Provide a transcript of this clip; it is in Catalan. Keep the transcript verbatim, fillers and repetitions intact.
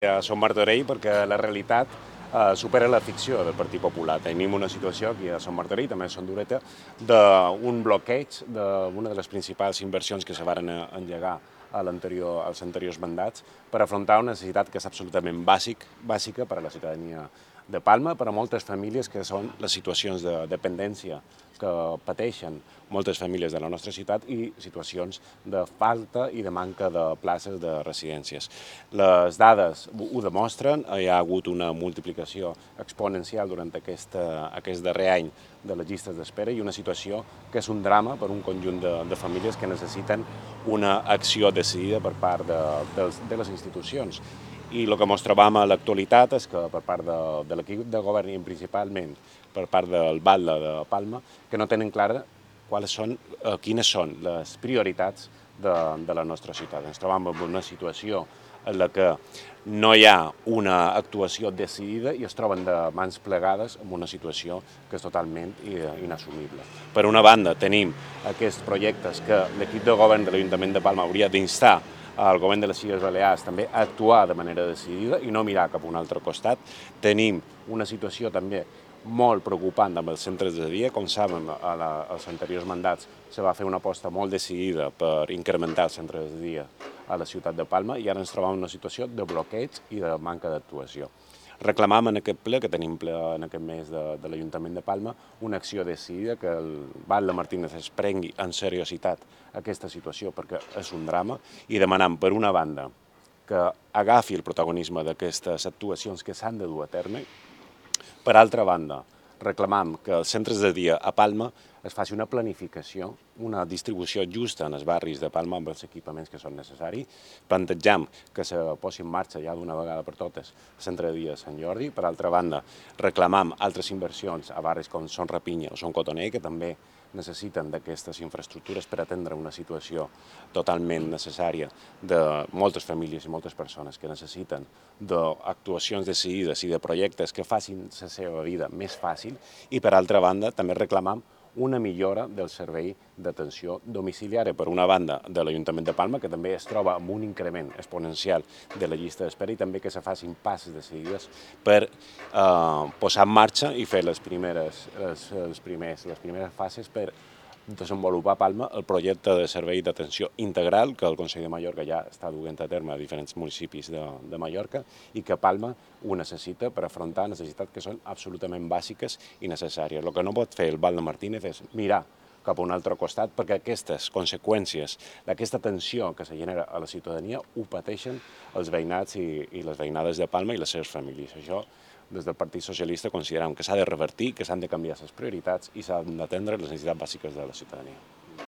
A Som Martorell perquè la realitat eh, supera la ficció del Partit Popular. Tenim una situació aquí a Som Martorell, també a Son Dureta, d'un bloqueig d'una de les principals inversions que se varen engegar a anterior, als anteriors mandats per afrontar una necessitat que és absolutament bàsic, bàsica per a la ciutadania de Palma, per a moltes famílies que són les situacions de dependència que pateixen moltes famílies de la nostra ciutat i situacions de falta i de manca de places de residències. Les dades ho demostren, hi ha hagut una multiplicació exponencial durant aquest, aquest darrer any de les llistes d'espera i una situació que és un drama per un conjunt de, de famílies que necessiten una acció decidida per part de, de, de les institucions. I el que ens trobam a l'actualitat és que per part de, de l'equip de govern i principalment per part del Batlle de Palma, que no tenen clara quals són, eh, quines són les prioritats de, de la nostra ciutat. Ens trobam en una situació en la que no hi ha una actuació decidida i es troben de mans plegades en una situació que és totalment inassumible. Per una banda, tenim aquests projectes que l'equip de govern de l'Ajuntament de Palma hauria d'instar al govern de les Illes Balears també a actuar de manera decidida i no mirar cap a un altre costat. Tenim una situació també molt preocupant amb els centres de dia. Com saben, a la, als anteriors mandats se va fer una aposta molt decidida per incrementar els centres de dia a la ciutat de Palma i ara ens trobem en una situació de bloqueig i de manca d'actuació. Reclamam en aquest ple, que tenim ple en aquest mes de, de l'Ajuntament de Palma, una acció decidida, que el Batlle Martínez es prengui en seriositat aquesta situació perquè és un drama i demanam, per una banda, que agafi el protagonisme d'aquestes actuacions que s'han de dur a terme. Per altra banda, reclamam que als centres de dia a Palma es faci una planificació, una distribució justa en els barris de Palma amb els equipaments que són necessaris. Plantejam que se posi en marxa ja d'una vegada per totes el centre de dia de Sant Jordi. Per altra banda, reclamam altres inversions a barris com Son Rapinya o Son Cotoner, que també necessiten d'aquestes infraestructures per atendre una situació totalment necessària de moltes famílies i moltes persones que necessiten d'actuacions decidides i de projectes que facin la seva vida més fàcil. I per altra banda, també reclamam una millora del servei d'atenció domiciliària, per una banda, de l'Ajuntament de Palma, que també es troba amb un increment exponencial de la llista d'espera, i també que se facin passes decidides per eh, posar en marxa i fer les primeres, les, les, primers, les primeres fases per desenvolupar a Palma el projecte de servei d'atenció integral que el Consell de Mallorca ja està duent a terme a diferents municipis de, de Mallorca i que Palma ho necessita per afrontar necessitats que són absolutament bàsiques i necessàries. El que no pot fer el Batlle Martínez és mirar cap a un altre costat perquè aquestes conseqüències d'aquesta tensió que se genera a la ciutadania ho pateixen els veïnats i, i les veïnades de Palma i les seves famílies. Això, des del Partit Socialista, considerem que s'ha de revertir, que s'han de canviar les prioritats i s'han d'atendre les necessitats bàsiques de la ciutadania.